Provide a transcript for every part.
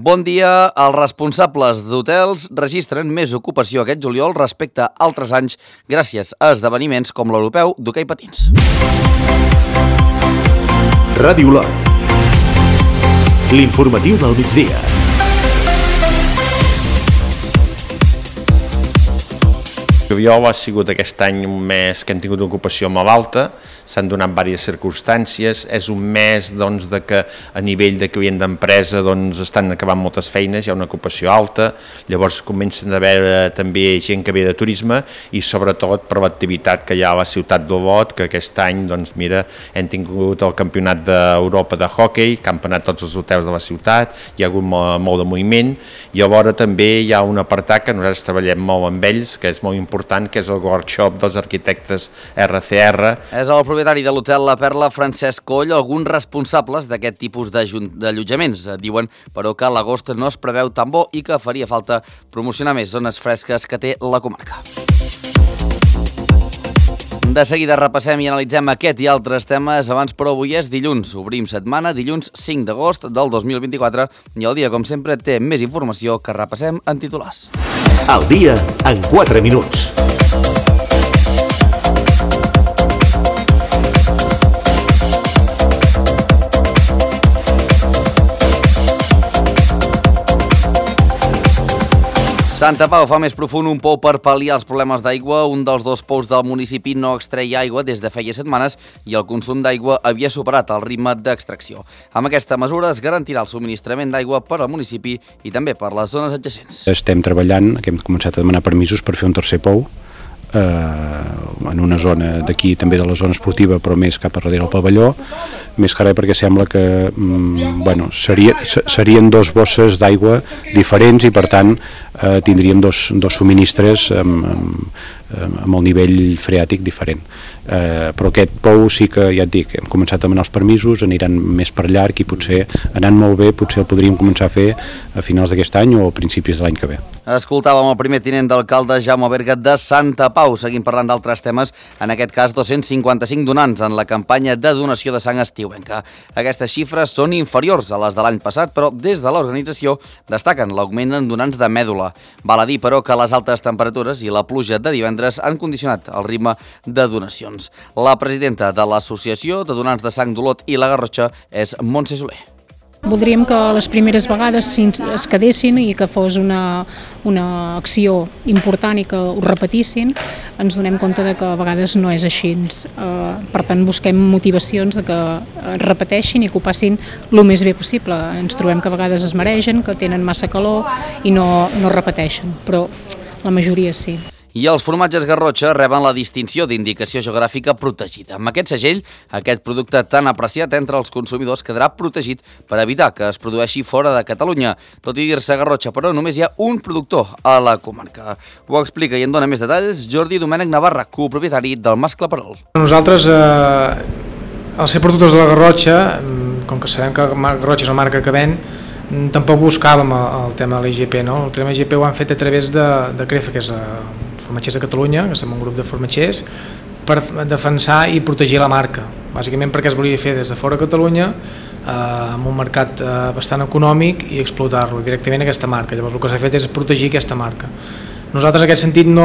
Bon dia. Els responsables d'hotels registren més ocupació aquest juliol respecte a altres anys gràcies a esdeveniments com l'europeu d'hoquei patins. Ràdio Lot. L'informatiu del migdia. Juliol ha sigut aquest any un mes que hem tingut una ocupació molt alta, s'han donat diverses circumstàncies, és un mes de que a nivell de client d'empresa estan acabant moltes feines, hi ha una ocupació alta, llavors comencen a haver també gent que ve de turisme i sobretot per l'activitat que hi ha a la ciutat d'Olot, que aquest any hem tingut el campionat d'Europa de hoquei, que han anat tots els hotels de la ciutat, hi ha hagut molt de moviment i alhora també hi ha un apartat que nosaltres treballem molt amb ells, que és molt important, que és el workshop dels arquitectes RCR. És el propietari de l'hotel La Perla, Francesc Coll. Alguns responsables d'aquest tipus d'allotjaments diuen, però, que l'agost no es preveu tan bo i que faria falta promocionar més zones fresques que té la comarca. De seguida repassem i analitzem aquest i altres temes. Abans, però, avui és dilluns. Obrim setmana, dilluns 5 d'agost del 2024 i el dia, com sempre, té més informació que repassem en titulars. El dia en 4 minuts. Santa Pau fa més profund un pou per pal·liar els problemes d'aigua. Un dels dos pous del municipi no extreia aigua des de feia setmanes i el consum d'aigua havia superat el ritme d'extracció. Amb aquesta mesura es garantirà el subministrament d'aigua per al municipi i també per les zones adjacents. Estem treballant, que hem començat a demanar permisos per fer un tercer pou en una zona d'aquí, també de la zona esportiva, però més cap a darrere del pavelló, més que res perquè sembla que serien dos bosses d'aigua diferents i per tant tindríem dos subministres amb el nivell freàtic diferent. Però aquest pou sí que, ja et dic, hem començat a demanar els permisos, aniran més per llarg i potser, anant molt bé, potser el podríem començar a fer a finals d'aquest any o a principis de l'any que ve. Escoltàvem el primer tinent d'alcalde Jaume Berga de Santa Pau. Seguim parlant d'altres temes, en aquest cas 255 donants en la campanya de donació de sang estiuenca. Aquestes xifres són inferiors a les de l'any passat, però des de l'organització destaquen l'augment en donants de mèdula. Val a dir, però, que les altes temperatures i la pluja de divendres han condicionat el ritme de donacions. La presidenta de l'Associació de Donants de Sang d'Olot i la Garrotxa és Montse Soler. Voldríem que les primeres vegades es quedessin i que fos una acció important i que ho repetissin. Ens donem compte de que a vegades no és així. Per tant, busquem motivacions de que repeteixin i que ho passin el més bé possible. Ens trobem que a vegades es maregen, que tenen massa calor i no repeteixen, però la majoria sí. I els formatges Garrotxa reben la distinció d'indicació geogràfica protegida. Amb aquest segell, aquest producte tan apreciat entre els consumidors quedarà protegit per evitar que es produeixi fora de Catalunya. Tot i dir-se Garrotxa, però, només hi ha un productor a la comarca. Ho explica i en dona més detalls Jordi Domènech Navarra, copropietari del Mascle Perol. Nosaltres, al ser productors de la Garrotxa, com que sabem que Garrotxa és la marca que ven, tampoc buscàvem el tema de l'IGP, no? El tema de l'IGP ho han fet a través de CREFA, que és Formatgers de Catalunya, que som un grup de formatgers, per defensar i protegir la marca. Bàsicament perquè es volia fer des de fora de Catalunya, amb un mercat bastant econòmic i explotar-lo directament aquesta marca. Llavors el que s'ha fet és protegir aquesta marca. Nosaltres en aquest sentit no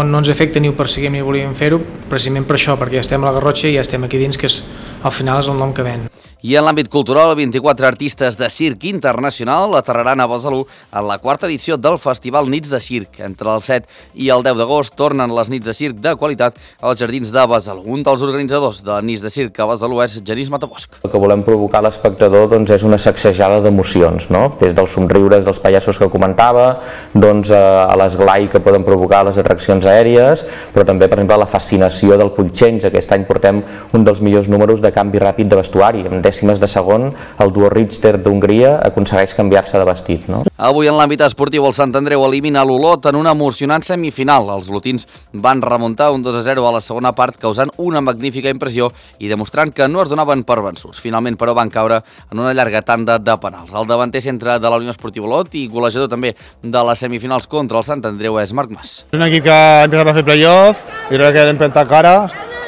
ens afecta ni ho perseguim ni volíem fer-ho, precisament per això, perquè ja estem a la Garrotxa i ja estem aquí dins, que al final és el nom que ven. I en l'àmbit cultural, 24 artistes de circ internacional aterraran a Besalú en la 4ª edició del Festival Nits de Circ. Entre el 7 i el 10 d'agost tornen les nits de circ de qualitat als jardins de Besalú. Un dels organitzadors de Nits de Circ a Besalú és Genís Matabosch. El que volem provocar a l'espectador és una sacsejada d'emocions, no? Des dels somriures dels pallassos que comentava, a l'esglai que poden provocar les atraccions aèries, però també, per exemple, la fascinació del quick change. Aquest any portem un dels millors números de canvi ràpid de vestuari. En dècimes de segon, el duo Richter d'Hongria aconsegueix canviar-se de vestit, no? Avui en l'àmbit esportiu el Sant Andreu elimina l'Olot en una emocionant semifinal. Els olotins van remuntar un 2-0 a la segona part, causant una magnífica impressió i demostrant que no es donaven per vençuts. Finalment, però, van caure en una llarga tanda de penals. El davanter centre de la Unió Esportiva Olot i golejador també de les semifinals contra el Sant Andreu és Marc Mas. És un equip que ha empezat a fer playoff i crec que l'hem plantat cara.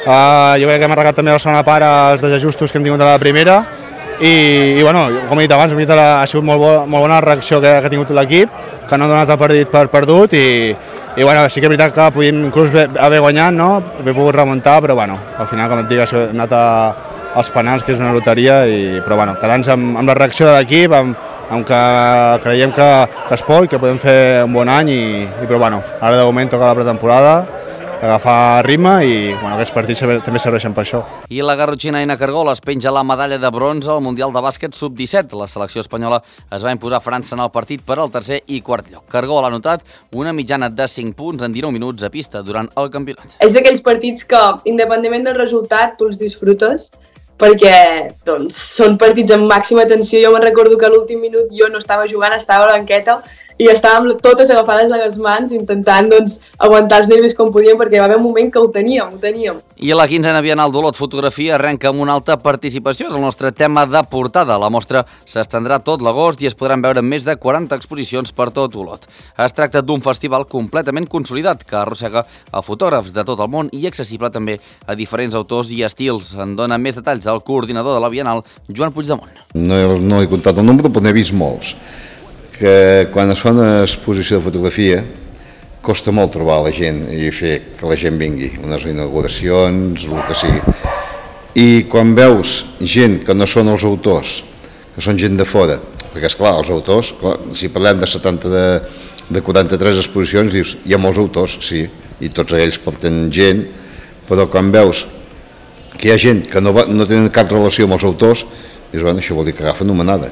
Jo crec que hem arreglat també la segona part els desajustos que hem tingut a la primera i bueno, com he dit abans, ha sigut molt bona la reacció que ha tingut l'equip, que no ha donat el partit per perdut i bueno, sí que és veritat que podíem inclús haver guanyat, no? Haver pogut remuntar, però bueno, al final, com et dic, ha anat als penals, que és una loteria, però bueno, quedant-nos amb la reacció de l'equip, amb que creiem que es pot, que podem fer un bon any, però bueno, ara de moment toca la pretemporada, agafar ritme i bueno, aquests partits també serveixen per això. I la garrotxina Aina Cargol es penja la medalla de bronze al Mundial de Bàsquet Sub-17. La selecció espanyola es va imposar a França en el partit per al tercer i quart lloc. Cargol ha anotat una mitjana de 5 punts en 19 minuts a pista durant el campionat. És d'aquells partits que, independentment del resultat, tu els disfrutes, perquè doncs, són partits amb màxima tensió. Jo me'n recordo que a l'últim minut jo no estava jugant, estava a la banqueta i estàvem totes agafades a les mans intentant doncs, aguantar els nervis com podíem perquè va haver un moment que ho teníem. I la 15a Bienal d'Olot Fotografia arrenca amb una alta participació. És el nostre tema de portada. La mostra s'estendrà tot l'agost i es podran veure més de 40 exposicions per tot Olot. Es tracta d'un festival completament consolidat que arrossega a fotògrafs de tot el món i accessible també a diferents autors i estils. En dona més detalls el coordinador de la Bienal, Joan Puigdemont. No he comptat el nombre, però n'he vist molts. Que quan es fa una exposició de fotografia costa molt trobar la gent i fer que la gent vingui, unes inauguracions, el que sigui. I quan veus gent que no són els autors, que són gent de fora, perquè esclar, els autors, clar, si parlem de 43 exposicions, dius, hi ha molts autors, sí, i tots ells porten gent, però quan veus que hi ha gent que no tenen cap relació amb els autors, dius, bueno, això vol dir que agafen una manada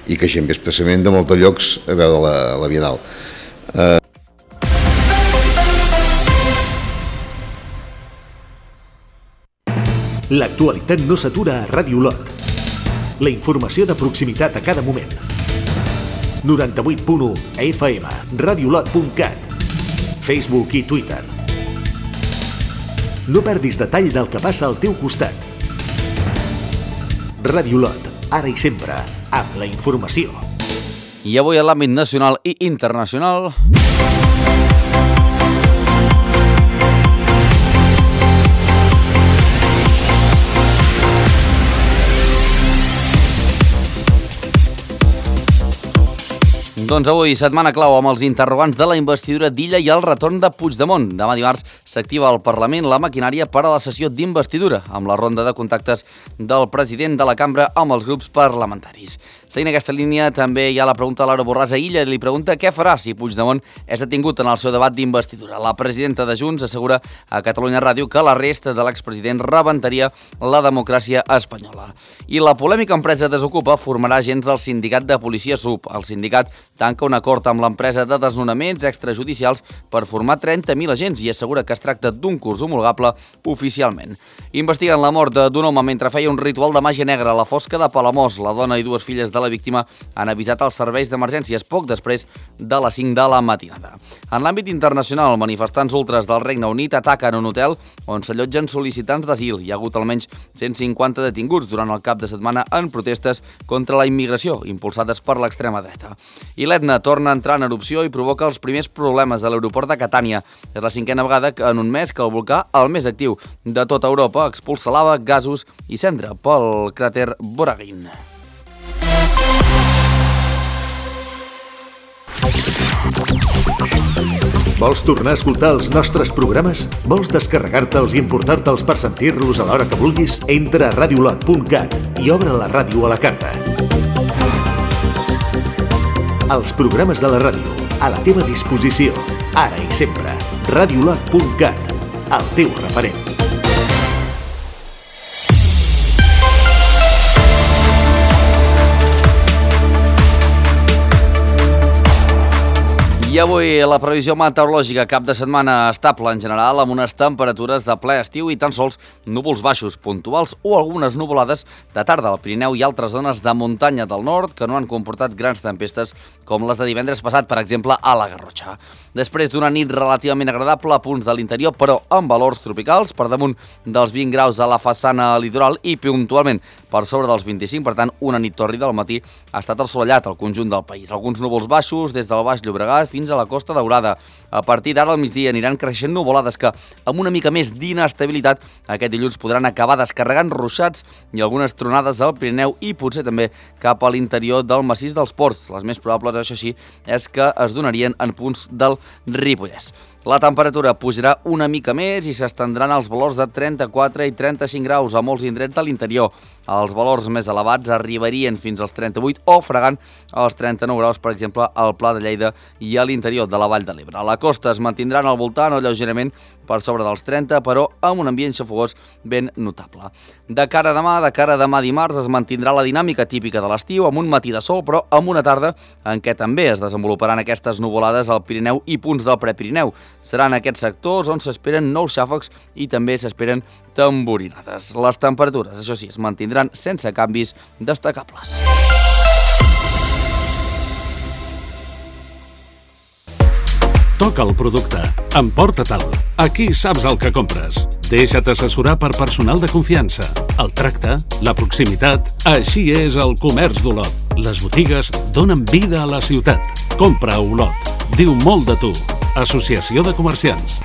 i que gent ve expressament de molts llocs a veure la Bienal. L'actualitat no s'atura a Ràdio Olot. La informació de proximitat a cada moment. 98.1 FM, radiolot.cat, Facebook i Twitter. No perdis detall del que passa al teu costat. Ràdio Olot, ara i sempre, amb la informació. I avui a l'àmbit nacional i internacional... Doncs avui, setmana clau amb els interrogants de la investidura d'Illa i el retorn de Puigdemont. Demà dimarts s'activa al Parlament la maquinària per a la sessió d'investidura, amb la ronda de contactes del president de la cambra amb els grups parlamentaris. Seguint aquesta línia, també hi ha la pregunta a Laura Borràs a Illa, li pregunta què farà si Puigdemont és detingut en el seu debat d'investidura. La presidenta de Junts assegura a Catalunya Ràdio que l'arrest de l'expresident rebentaria la democràcia espanyola. I la polèmica empresa Desokupa formarà agents del sindicat de policia SUB. El sindicat tanca un acord amb l'empresa de desnonaments extrajudicials per formar 30.000 agents i assegura que es tracta d'un curs homologable oficialment. Investiguen la mort d'un home mentre feia un ritual de màgia negra a la fosca de Palamós. La dona i dues filles de la víctima han avisat els serveis d'emergències poc després de les 5 de la matinada. En l'àmbit internacional, manifestants ultres del Regne Unit ataquen un hotel on s'allotgen sol·licitants d'asil. Hi ha hagut almenys 150 detinguts durant el cap de setmana en protestes contra la immigració impulsades per l'extrema dreta. I l'Etna torna a entrar en erupció i provoca els primers problemes a l'aeroport de Catània. És la 5a vegada en un mes que el volcà, el més actiu de tota Europa, expulsa lava, gasos i cendra pel cràter Boragin. Vols tornar a escoltar els nostres programes? Vols descarregar-te'ls i emportar-te'ls per sentir-los a l'hora que vulguis? Entra a radiolot.cat i obre la ràdio a la carta. Els programes de la ràdio, a la teva disposició, ara i sempre. Radiolot.cat, el teu referent. I avui la previsió meteorològica cap de setmana estable en general, amb unes temperatures de ple estiu i tan sols núvols baixos puntuals o algunes nuvolades de tarda al Pirineu i altres zones de muntanya del nord que no han comportat grans tempestes com les de divendres passat, per exemple, a la Garrotxa. Després d'una nit relativament agradable a punts de l'interior, però amb valors tropicals, per damunt dels 20 graus a la façana litoral i puntualment per sobre dels 25, per tant, una nit tòrrida al matí ha estat assolellat al conjunt del país. Alguns núvols baixos des del Baix Llobregat fins fins a la Costa Daurada. A partir d'ara al migdia aniran creixent nuvolades que, amb una mica més d'inestabilitat, aquest dilluns podran acabar descarregant ruixats i algunes tronades al Pirineu i potser també cap a l'interior del massís dels Ports. Les més probables, això sí, és que es donarien en punts del Ripollès. La temperatura pujarà una mica més i s'estendran als valors de 34 i 35 graus a molts indrets de l'interior. Els valors més elevats arribarien fins als 38 o fregant als 39 graus, per exemple, al Pla de Lleida i a l'interior de la Vall de l'Ebre. A la costa es mantindran al voltant o lleugerament per sobre dels 30, però amb un ambient xafogós ben notable. De cara a demà dimarts, es mantindrà la dinàmica típica de l'estiu, amb un matí de sol, però amb una tarda en què també es desenvoluparan aquestes nuvolades al Pirineu i punts del Prepirineu. Seran aquests sectors on s'esperen nous xàfecs i també s'esperen tamborinades. Les temperatures, això sí, es mantindran sense canvis destacables. Toca el producte. Emporta-te'l. Aquí saps el que compres. Deixa't assessorar per personal de confiança. El tracte, la proximitat, així és el comerç d'Olot. Les botigues donen vida a la ciutat. Compra a Olot. Diu molt de tu. Associació de Comerciants.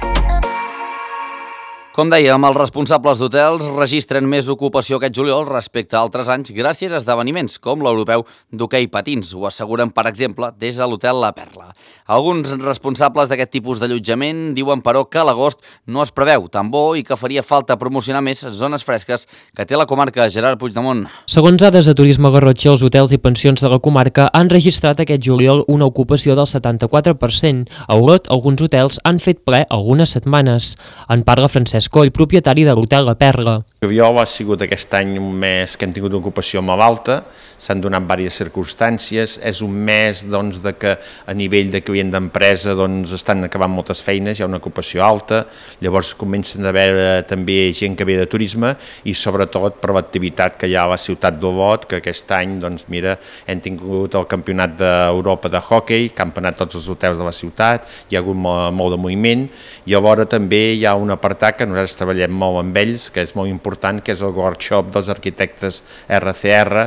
Com dèiem, els responsables d'hotels registren més ocupació aquest juliol respecte a altres anys gràcies a esdeveniments com l'europeu d'hoquei patins. Ho asseguren, per exemple, des de l'hotel La Perla. Alguns responsables d'aquest tipus d'allotjament diuen, però, que a l'agost no es preveu tan bo i que faria falta promocionar més zones fresques que té la comarca. Gerard Puigdemont. Segons dades de Turisme Garrotxa, els hotels i pensions de la comarca han registrat aquest juliol una ocupació del 74%. A Olot, alguns hotels han fet ple algunes setmanes. En parla Francesc Coll, propietari de l'hotel La Perla. El juliol ha sigut aquest any un mes que hem tingut una ocupació molt alta, s'han donat diverses circumstàncies, és un mes doncs, de que a nivell de client d'empresa doncs, estan acabant moltes feines, hi ha una ocupació alta, llavors comencen a haver també gent que ve de turisme i sobretot per l'activitat que hi ha a la ciutat d'Olot, que aquest any doncs, mira, hem tingut el campionat d'Europa de hoquei, que han anat tots els hotels de la ciutat, hi ha hagut molt de moviment i alhora també hi ha un apartat que nosaltres treballem molt amb ells, que és molt important, que és el workshop dels arquitectes RCR.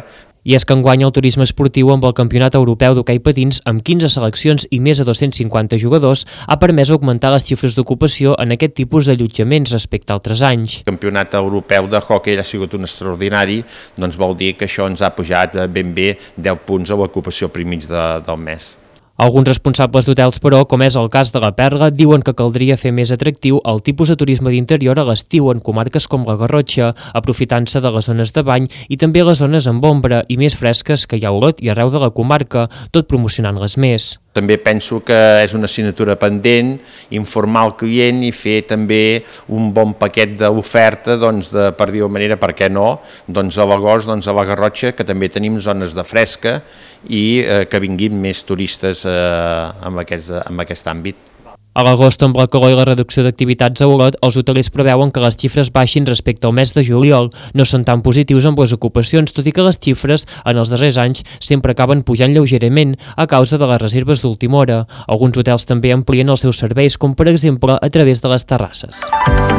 I és que enguany el turisme esportiu amb el Campionat Europeu d'Hoquei Patins, amb 15 seleccions i més de 250 jugadors, ha permès augmentar les xifres d'ocupació en aquest tipus d'allotjaments respecte a altres anys. El Campionat Europeu de Hoquei ha sigut un extraordinari, doncs vol dir que això ens ha pujat ben bé 10 punts a l'ocupació primig del mes. Alguns responsables d'hotels, però, com és el cas de La Perla, diuen que caldria fer més atractiu el tipus de turisme d'interior a l'estiu en comarques com la Garrotxa, aprofitant-se de les zones de bany i també les zones amb ombra i més fresques que hi ha a Olot i arreu de la comarca, tot promocionant-les més. També penso que és una assignatura pendent, informar el client i fer també un bon paquet d'oferta, doncs, per dir-ho manera, per què no, doncs a l'agost, doncs a la Garrotxa, que també tenim zones de fresca i que vinguin més turistes en aquest àmbit. A l'agost, amb la calor i la reducció d'activitats a Olot, els hotelers preveuen que les xifres baixin respecte al mes de juliol. No són tan positius amb les ocupacions, tot i que les xifres en els darrers anys sempre acaben pujant lleugerament a causa de les reserves d'última hora. Alguns hotels també amplien els seus serveis, com per exemple a través de les terrasses.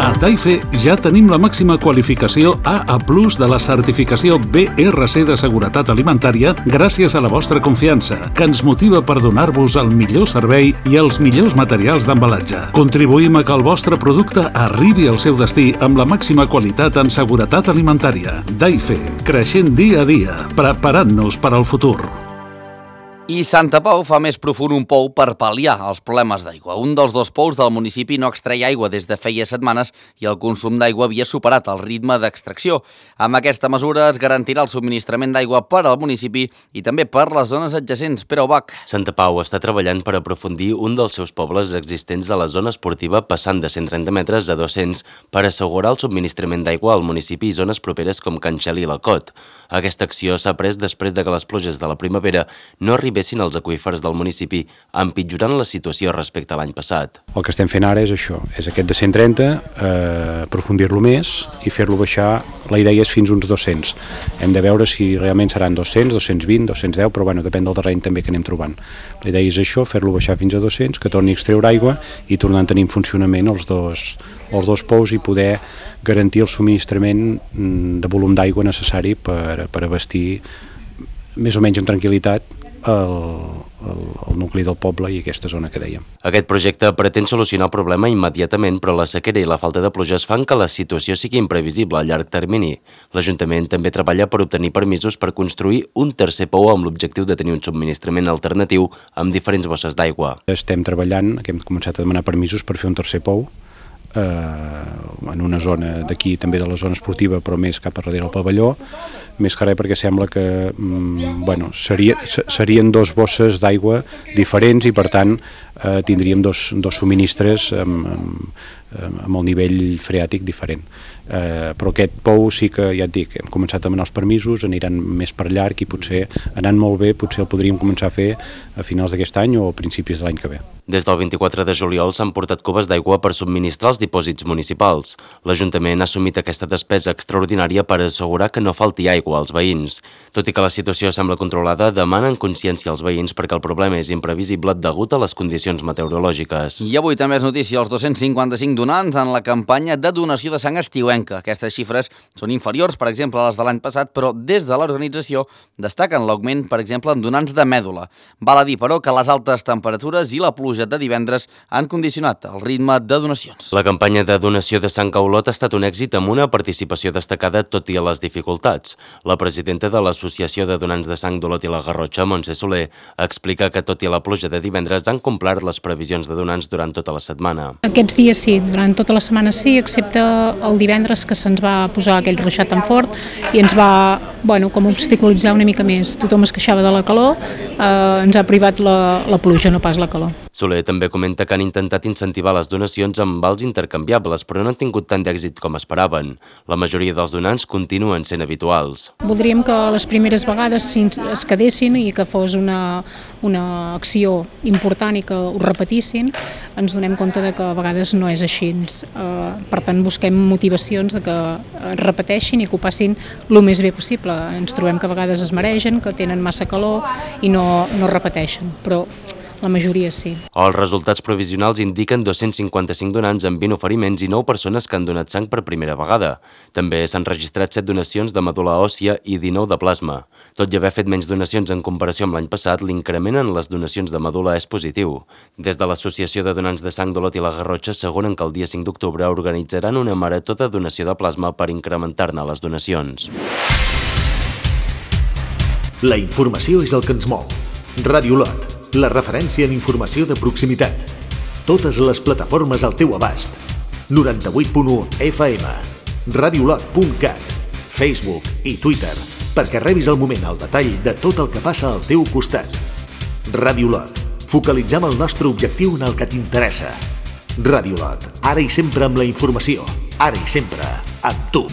A Taife ja tenim la màxima qualificació AA+ de la certificació BRC de Seguretat Alimentària gràcies a la vostra confiança, que ens motiva per donar-vos el millor servei i els millors materials d'embalatge. Contribuïm a que el vostre producte arribi al seu destí amb la màxima qualitat en seguretat alimentària. Taife, creixent dia a dia, preparant-nos per al futur. I Santa Pau fa més profund un pou per pal·liar els problemes d'aigua. Un dels dos pous del municipi no extreia aigua des de feia setmanes i el consum d'aigua havia superat el ritme d'extracció. Amb aquesta mesura es garantirà el subministrament d'aigua per al municipi i també per les zones adjacents. Pere Ubach. Santa Pau està treballant per aprofundir un dels seus pobles existents de la zona esportiva, passant de 130 metres a 200 per assegurar el subministrament d'aigua al municipi i zones properes com Can Xeli i la Cot. Aquesta acció s'ha pres després de que les pluges de la primavera no arribessin els aqüífers del municipi, empitjorant la situació respecte a l'any passat. El que estem fent ara és això, és aquest de 130, aprofundir-lo més i fer-lo baixar, la idea és fins uns 200. Hem de veure si realment seran 200, 220, 210, però bueno, depèn del terreny també que anem trobant. La idea és això, fer-lo baixar fins a 200, que torni a extreure aigua i tornar a tenir en funcionament els dos pous i poder garantir el subministrament de volum d'aigua necessari per abastir més o menys amb tranquil·litat el nucli del poble i aquesta zona que dèiem. Aquest projecte pretén solucionar el problema immediatament, però la sequera i la falta de pluges fan que la situació sigui imprevisible a llarg termini. L'Ajuntament també treballa per obtenir permisos per construir un tercer pou amb l'objectiu de tenir un subministrament alternatiu amb diferents bosses d'aigua. Estem treballant, que hem començat a demanar permisos per fer un tercer pou en una zona d'aquí, també de la zona esportiva, però més cap a darrere del pavelló, més que res perquè sembla que serien dos bosses d'aigua diferents i per tant tindríem dos subministres amb el nivell freàtic diferent. Però aquest pou sí que, ja et dic, hem començat a demanar els permisos, aniran més per llarg i potser, anant molt bé, potser el podríem començar a fer a finals d'aquest any o a principis de l'any que ve. Des del 24 de juliol s'han portat cubes d'aigua per subministrar els dipòsits municipals. L'Ajuntament ha assumit aquesta despesa extraordinària per assegurar que no falti aigua als veïns. Tot i que la situació sembla controlada, demanen consciència als veïns perquè el problema és imprevisible degut a les condicions meteorològiques. I avui també és notícia els 255 donants en la campanya de donació de sang estiuenca. Aquestes xifres són inferiors, per exemple, a les de l'any passat, però des de l'organització destaquen l'augment, per exemple, en donants de mèdula. Val a dir, però, que les altes temperatures i la pluja de divendres han condicionat el ritme de donacions. La campanya de donació de sang a Olot ha estat un èxit amb una participació destacada tot i a les dificultats. La presidenta de l'Associació de Donants de Sang d'Olot i la Garrotxa, Montse Soler, explica que tot i la pluja de divendres han complert les previsions de donants durant tota la setmana. Aquests dies sí, durant tota la setmana sí, excepte el divendres que se'ns va posar aquell ruixat tan fort i ens va com obstaculitzar una mica més. Tothom es queixava de la calor, ens ha privat la pluja, no pas la calor. Soler també comenta que han intentat incentivar les donacions amb vals intercanviables, però no han tingut tant d'èxit com esperaven. La majoria dels donants continuen sent habituals. Voldríem que les primeres vegades es quedessin i que fos una acció important i que ho repetissin. Ens donem compte de que a vegades no és així. Per tant, busquem motivacions de que es repeteixin i que ho passin el més bé possible. Ens trobem que a vegades es maregen, que tenen massa calor i no repeteixen, però la majoria sí. Els resultats provisionals indiquen 255 donants amb 20 oferiments i 9 persones que han donat sang per primera vegada. També s'han registrat 7 donacions de medul·la òssia i 19 de plasma. Tot i haver fet menys donacions en comparació amb l'any passat, l'increment en les donacions de medul·la és positiu. Des de l'Associació de Donants de Sang d'Olot i la Garrotxa asseguren que el dia 5 d'octubre organitzaran una marató de donació de plasma per incrementar-ne les donacions. La informació és el que ens mou. Ràdio Olot, la referència en informació de proximitat. Totes les plataformes al teu abast. 98.1 FM, radiolot.cat, Facebook i Twitter, perquè rebis al moment el detall de tot el que passa al teu costat. Ràdio Olot, focalitzem el nostre objectiu en el que t'interessa. Ràdio Olot, ara i sempre amb la informació, ara i sempre amb tu.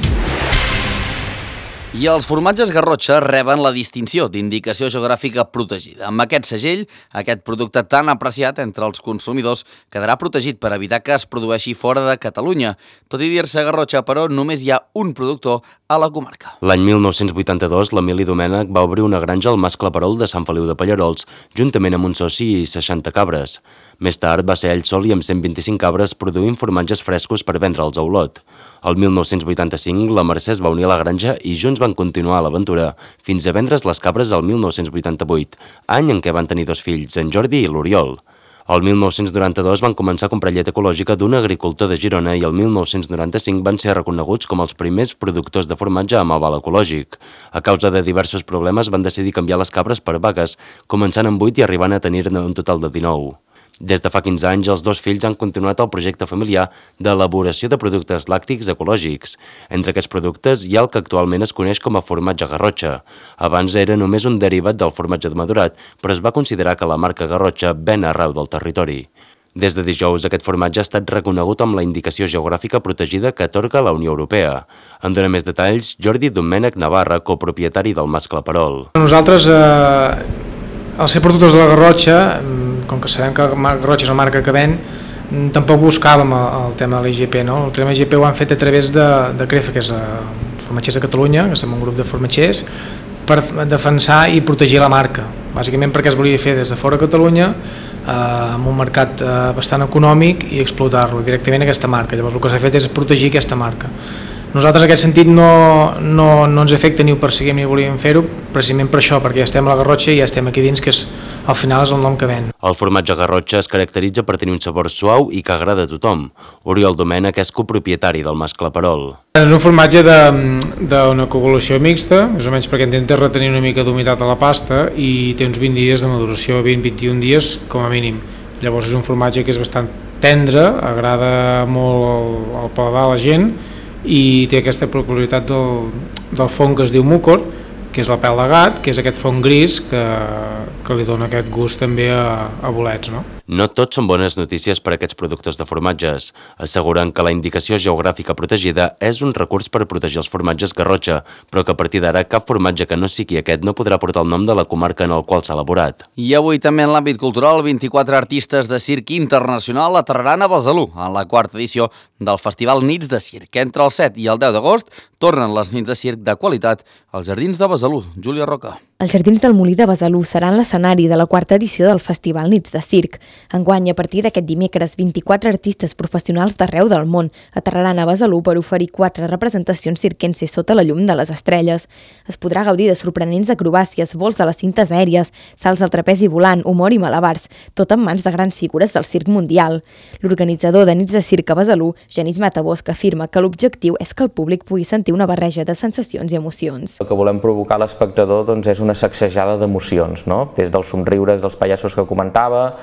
I els formatges Garrotxa reben la distinció d'indicació geogràfica protegida. Amb aquest segell, aquest producte tan apreciat entre els consumidors quedarà protegit per evitar que es produeixi fora de Catalunya. Tot i dir-se Garrotxa, però, només hi ha un productor a la comarca. L'any 1982, l'Emili Domènech va obrir una granja al Mas Claperol de Sant Feliu de Pallerols, juntament amb un soci i 60 cabres. Més tard va ser ell sol i amb 125 cabres produint formatges frescos per vendre'ls a Olot. El 1985, la Mercè es va unir a la granja i junts van continuar l'aventura fins a vendre's les cabres el 1988, any en què van tenir 2 fills, en Jordi i l'Oriol. El 1992 van començar a comprar llet ecològica d'un agricultor de Girona i el 1995 van ser reconeguts com els primers productors de formatge amb aval ecològic. A causa de diversos problemes van decidir canviar les cabres per vaques, començant amb 8 i arribant a tenir-ne un total de 19. Des de fa 15 anys, els 2 fills han continuat el projecte familiar d'elaboració de productes làctics ecològics. Entre aquests productes hi ha el que actualment es coneix com a formatge Garrotxa. Abans era només un derivat del formatge de madurat, però es va considerar que la marca Garrotxa ven arreu del territori. Des de dijous, aquest formatge ha estat reconegut amb la indicació geogràfica protegida que atorga la Unió Europea. En dona més detalls Jordi Domènech Navarra, copropietari del Mas Claperol. Nosaltres, al ser productors de la Garrotxa, com que sabem que Garrotxa és una marca que ven, tampoc buscàvem el tema de l'IGP. El tema de l'IGP ho han fet a través de CREFA, que és Formatgers de Catalunya, que som un grup de formatgers, per defensar i protegir la marca. Bàsicament perquè es volia fer des de fora de Catalunya, amb un mercat bastant econòmic i explotar-lo directament aquesta marca. Llavors el que s'ha fet és protegir aquesta marca. Nosaltres en aquest sentit no ens afecta ni ho perseguim ni volíem fer-ho, precisament per això, perquè ja estem a la Garrotxa i ja estem aquí dins, que al final és el nom que ven. El formatge Garrotxa es caracteritza per tenir un sabor suau i que agrada a tothom. Oriol Domènech és copropietari del Mascle Perol. És un formatge d'una coagulació mixta, més o menys perquè intenta retenir una mica d'humitat a la pasta i té uns 20 dies de maduració, 20-21 dies com a mínim. Llavors és un formatge que és bastant tendre, agrada molt al paladar a la gent i té aquesta peculiaritat del fong que es diu múcor, que és la pèl de gat, que és aquest fong gris que li dona aquest gust també a bolets, no? No tot són bones notícies per a aquests productors de formatges. Asseguren que la indicació geogràfica protegida és un recurs per protegir els formatges Garrotxa, però que a partir d'ara cap formatge que no sigui aquest no podrà portar el nom de la comarca en el qual s'ha elaborat. I avui també en l'àmbit cultural, 24 artistes de circ internacional aterraran a Besalú en la quarta edició del Festival Nits de Circ. Entre el 7 i el 10 d'agost tornen les nits de circ de qualitat als Jardins de Besalú. Júlia Roca. Els Jardins del Molí de Besalú seran l'escenari de la quarta edició del Festival Nits de Circ. Enguany, a partir d'aquest dimecres, 24 artistes professionals d'arreu del món aterraran a Besalú per oferir 4 representacions circenses sota la llum de les estrelles. Es podrà gaudir de sorprenents acrobàcies, vols a les cintes aèries, salts al trapezi volant, humor i malabars, tot en mans de grans figures del circ mundial. L'organitzador de Nits de Circ a Besalú, Genís Matabosc, afirma que l'objectiu és que el públic pugui sentir una barreja de sensacions i emocions. El que volem provocar a l'espectador és una sacsejada d'emocions, no? Des dels somriures dels pallassos que comentava,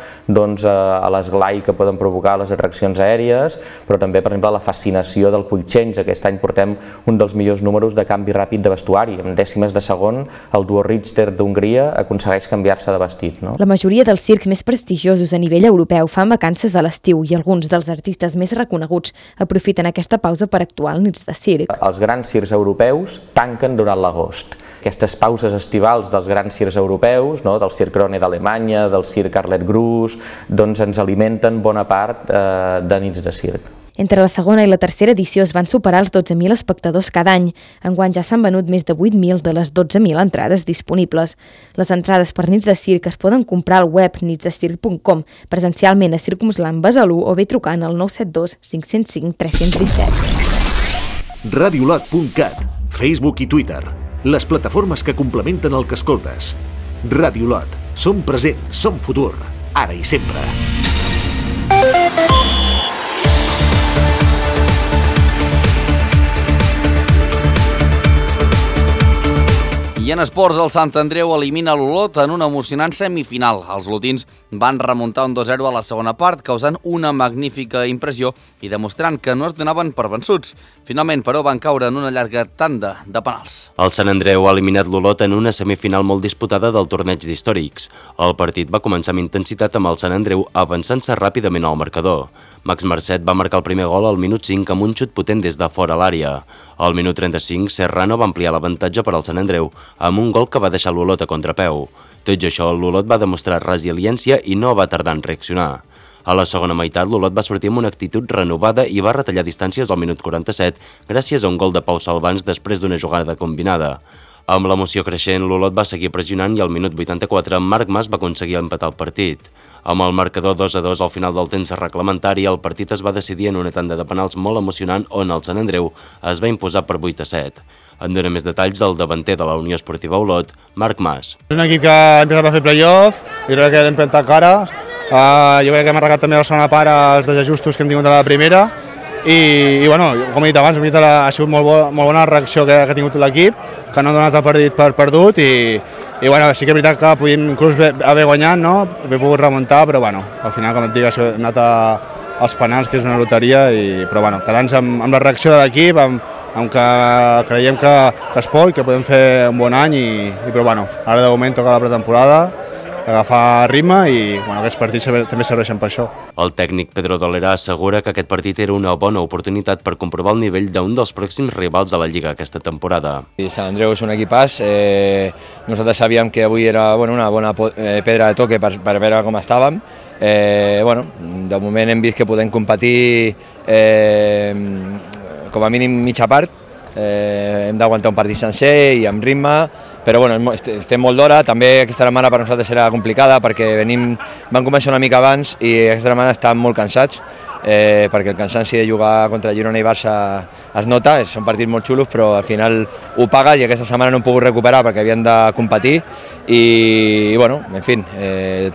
a l'esglai que poden provocar les atraccions aèries, però també, per exemple, la fascinació del quick change. Aquest any portem un dels millors números de canvi ràpid de vestuari. En dècimes de segon, el duo Richter d'Hongria aconsegueix canviar-se de vestit, no? La majoria dels circs més prestigiosos a nivell europeu fan vacances a l'estiu i alguns dels artistes més reconeguts aprofiten aquesta pausa per actuar al Nits de Circ. Els grans circs europeus tanquen durant l'agost. Aquestes pauses estivals dels grans circs europeus, no? Del Circ Krone d'Alemanya, del Circ Arlet Grus, ens alimenten bona part de Nits de Circ. Entre la segona i la tercera edició es van superar els 12.000 espectadors cada any. Enguany ja s'han venut més de 8.000 de les 12.000 entrades disponibles. Les entrades per Nits de Circ es poden comprar al web nitsdecirc.com, presencialment a Circumsland Besalú o bé trucant al 972 505 317. Radiolot.cat, Facebook i Twitter, les plataformes que complementen el que escoltes. Radiolot, som present, som futur, ara i sempre. I en esports, el Sant Andreu elimina l'Olot en una emocionant semifinal. Els olotins van remuntar un 2-0 a la segona part, causant una magnífica impressió i demostrant que no es donaven per vençuts. Finalment, però, van caure en una llarga tanda de penals. El Sant Andreu ha eliminat l'Olot en una semifinal molt disputada del torneig d'històrics. El partit va començar amb intensitat amb el Sant Andreu avançant-se ràpidament al marcador. Max Marcet va marcar el primer gol al minut 5 amb un xut potent des de fora l'àrea. Al minut 35, Serrano va ampliar l'avantatge per al Sant Andreu, amb un gol que va deixar l'Olot a contrapeu. Tot i això, l'Olot va demostrar resiliència i no va tardar en reaccionar. A la segona meitat, l'Olot va sortir amb una actitud renovada i va retallar distàncies al minut 47 gràcies a un gol de Pau Salvans després d'una jugada combinada. Amb l'emoció creixent, l'Olot va seguir pressionant i al minut 84 Marc Mas va aconseguir empatar el partit. Amb el marcador 2-2 al final del temps reglamentari, el partit es va decidir en una tanda de penals molt emocionant on el Sant Andreu es va imposar per 8-7. En dona més detalls el davanter de la Unió Esportiva Olot, Marc Mas. És un equip que ha empezat a fer playoff, jo crec que l'hem plantat cara, jo crec que hem arreglat també la segona part els desajustos que hem tingut a la primera i bueno, com he dit abans, ha sigut molt bona la reacció que ha tingut l'equip, que no ha donat el partit per perdut i bueno, sí que és veritat que podíem inclús haver guanyat, no? Haver pogut remuntar, però bueno, al final, com et dic, hem anat als penals, que és una loteria, però bueno, quedant-nos amb la reacció de l'equip, amb que creiem que es pot, que podem fer un bon any, però bueno, ara de moment toca la pretemporada, agafar ritme i bueno, aquests partits també serveixen per això. El tècnic Pedro Dolera assegura que aquest partit era una bona oportunitat per comprovar el nivell d'un dels pròxims rivals de la Lliga aquesta temporada. Sant Andreu és un equipàs, nosaltres sabíem que avui era una bona pedra de toque per veure com estàvem. De moment hem vist que podem competir com a mínim mitja part, hem d'aguantar un partit sencer i amb ritme, però estem molt d'hora, també aquesta setmana per nosaltres serà complicada perquè vam començar una mica abans i aquesta setmana estem molt cansats perquè el cansanci de jugar contra Girona i Barça es nota, són partits molt xulos, però al final ho pagues i aquesta setmana no hem pogut recuperar perquè havien de competir i bueno, en fi,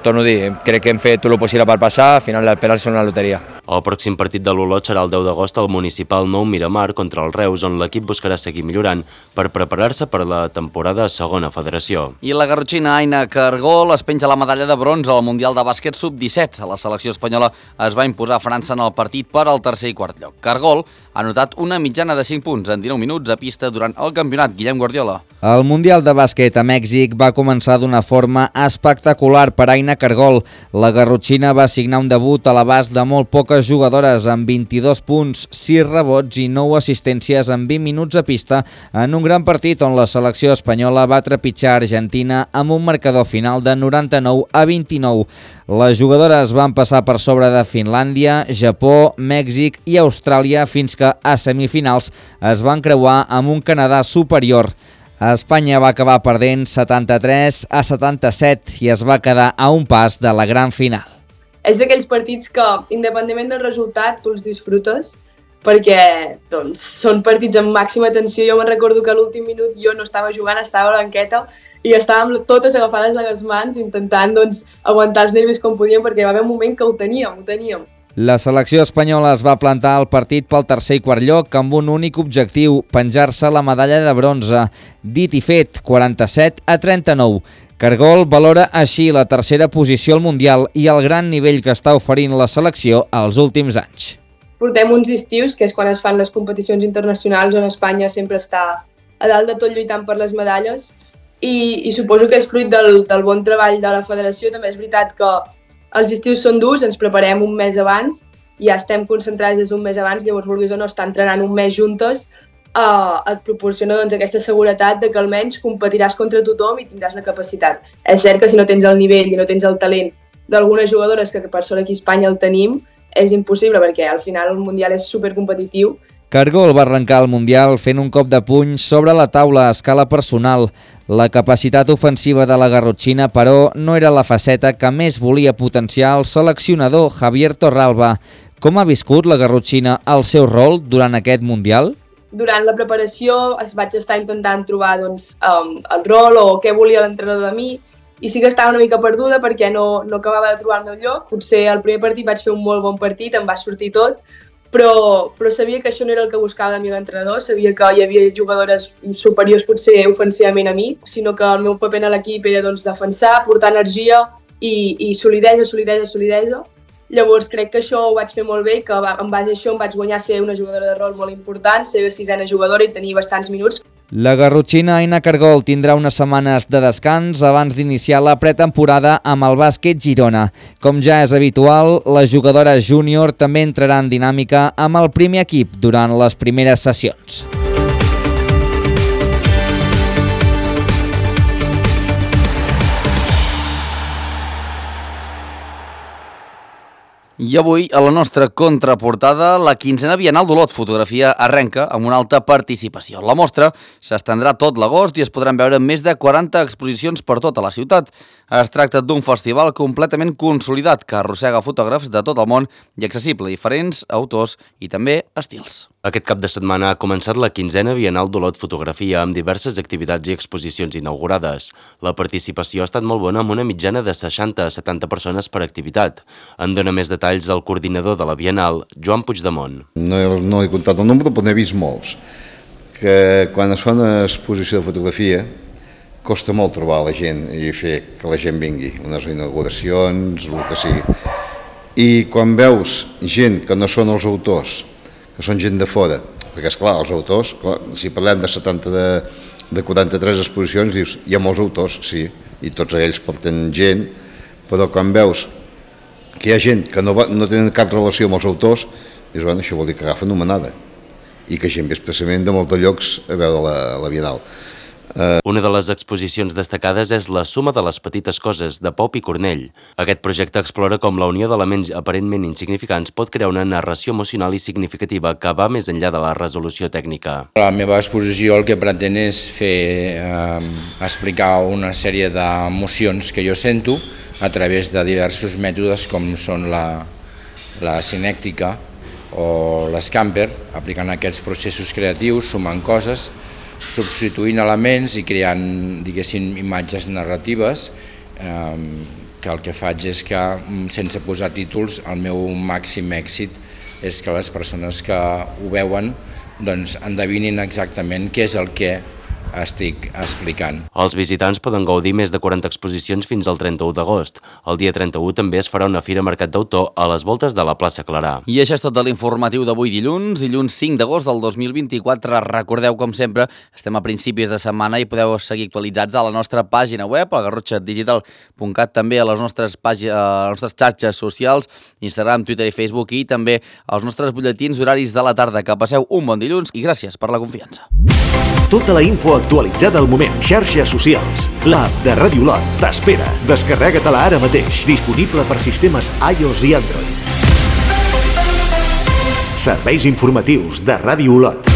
torno a dir, crec que hem fet tot el possible per passar, al final els penals són una loteria. El pròxim partit de l'Olot serà el 10 d'agost al municipal Nou Miramar contra el Reus, on l'equip buscarà seguir millorant per preparar-se per la temporada a segona federació. I la garrotxina Aina Cargol es penja la medalla de bronze al Mundial de Bàsquet Sub-17. La selecció espanyola es va imposar a França en el partit per al tercer i quart lloc. Cargol ha anotat una mitjana de 5 punts en 19 minuts a pista durant el campionat. Guillem Guardiola. El Mundial de Bàsquet a Mèxic va començar d'una forma espectacular per Aina Cargol. La garrotxina va signar un debut a l'abast de molt poques jugadores amb 22 punts, 6 rebots i 9 assistències en 20 minuts a pista en un gran partit on la selecció espanyola va trepitjar Argentina amb un marcador final de 99-29. Les jugadores van passar per sobre de Finlàndia, Japó, Mèxic i Austràlia fins que a semifinals es van creuar amb un Canadà superior. Espanya va acabar perdent 73-77 i es va quedar a un pas de la gran final. És d'aquells partits que, independentment del resultat, tu els disfrutes perquè doncs, són partits amb màxima tensió. Jo me'n recordo que a l'últim minut jo no estava jugant, estava a la banqueta i estàvem totes agafades a les mans intentant doncs, aguantar els nervis com podíem perquè hi va haver un moment que ho teníem. La selecció espanyola es va plantar al partit pel tercer i quart lloc amb un únic objectiu, penjar-se la medalla de bronze. Dit i fet, 47-39. Cargol valora així la tercera posició al Mundial i el gran nivell que està oferint la selecció als últims anys. Portem uns estius, que és quan es fan les competicions internacionals, on Espanya sempre està a dalt de tot lluitant per les medalles, i suposo que és fruit del bon treball de la federació. També és veritat que els estius són durs, ens preparem un mes abans, ja estem concentrats des d'un mes abans, llavors vulguis o no estar entrenant un mes juntes, et proporciona doncs, aquesta seguretat de que almenys competiràs contra tothom i tindràs la capacitat. És cert que si no tens el nivell i no tens el talent d'algunes jugadores, que per sort aquí a Espanya el tenim, és impossible perquè al final el Mundial és supercompetitiu. Cargol va arrencar el Mundial fent un cop de puny sobre la taula a escala personal. La capacitat ofensiva de la garrotxina, però, no era la faceta que més volia potenciar el seleccionador Javier Torralba. Com ha viscut la garrotxina el seu rol durant aquest Mundial? Durant la preparació vaig estar intentant trobar doncs, el rol o què volia l'entrenador de mi, i sí que estava una mica perduda perquè no acabava de trobar el meu lloc. Potser el primer partit vaig fer un molt bon partit, em va sortir tot, però sabia que això no era el que buscava de mi l'entrenador, sabia que hi havia jugadores superiors potser ofensivament a mi, sinó que el meu paper a l'equip era doncs, defensar, portar energia i solidesa. Llavors crec que això ho vaig fer molt bé i que en base a això em vaig guanyar ser una jugadora de rol molt important, ser la 6ena jugadora i tenir bastants minuts. La garrotxina Aina Cargol tindrà unes setmanes de descans abans d'iniciar la pretemporada amb el bàsquet Girona. Com ja és habitual, la jugadora júnior també entrarà en dinàmica amb el primer equip durant les primeres sessions. I avui, a la nostra contraportada, la 15a Bienal d'Olot Fotografia arrenca amb una alta participació. La mostra s'estendrà tot l'agost i es podran veure més de 40 exposicions per tota la ciutat. Es tracta d'un festival completament consolidat que arrossega fotògrafs de tot el món i accessible a diferents autors i també estils. Aquest cap de setmana ha començat la 15a Bienal d'Olot Fotografia amb diverses activitats i exposicions inaugurades. La participació ha estat molt bona amb una mitjana de 60 a 70 persones per activitat. En dona més detalls el coordinador de la Bienal, Joan Puigdemont. No he comptat el nombre, però n'he vist molts. Que quan es fa una exposició de fotografia costa molt trobar la gent i fer que la gent vingui, unes inauguracions, el que sigui. I quan veus gent que no són els autors, que són gent de fora, perquè esclar, els autors, si parlem de 70 de 43 exposicions, dius, hi ha molts autors, sí, i tots ells porten gent, però quan veus que hi ha gent que no tenen cap relació amb els autors, dius, bueno, això vol dir que agafen una manada, i que gent ve expressament de molts llocs a veure la Bienal. Una de les exposicions destacades és La suma de les petites coses, de Pau Picornell. Aquest projecte explora com la unió d'elements aparentment insignificants pot crear una narració emocional i significativa que va més enllà de la resolució tècnica. La meva exposició el que pretén és explicar una sèrie d'emocions que jo sento a través de diversos mètodes com són la cinèctica o l'Scamper, aplicant aquests processos creatius, sumant coses, substituint elements i creant, diguéssim, imatges narratives, que el que faig és que, sense posar títols, el meu màxim èxit és que les persones que ho veuen doncs endevinin exactament què és el que estic explicant. Els visitants poden gaudir més de 40 exposicions fins al 31 d'agost. El dia 31 també es farà una fira Mercat d'Autor a les voltes de la plaça Clarà. I això és tot de l'informatiu d'avui dilluns 5 d'agost del 2024. Recordeu, com sempre, estem a principis de setmana i podeu seguir actualitzats a la nostra pàgina web, a garrotxadigital.cat, també a les nostres xarxes socials, Instagram, Twitter i Facebook, i també als nostres butlletins horaris de la tarda. Que passeu un bon dilluns i gràcies per la confiança. Tota la info actualitzada al moment. Xarxes socials. L'app de Ràdio Lot t'espera. Descarrega-te-la ara mateix. Disponible per sistemes iOS i Android. Serveis informatius de Ràdio Lot.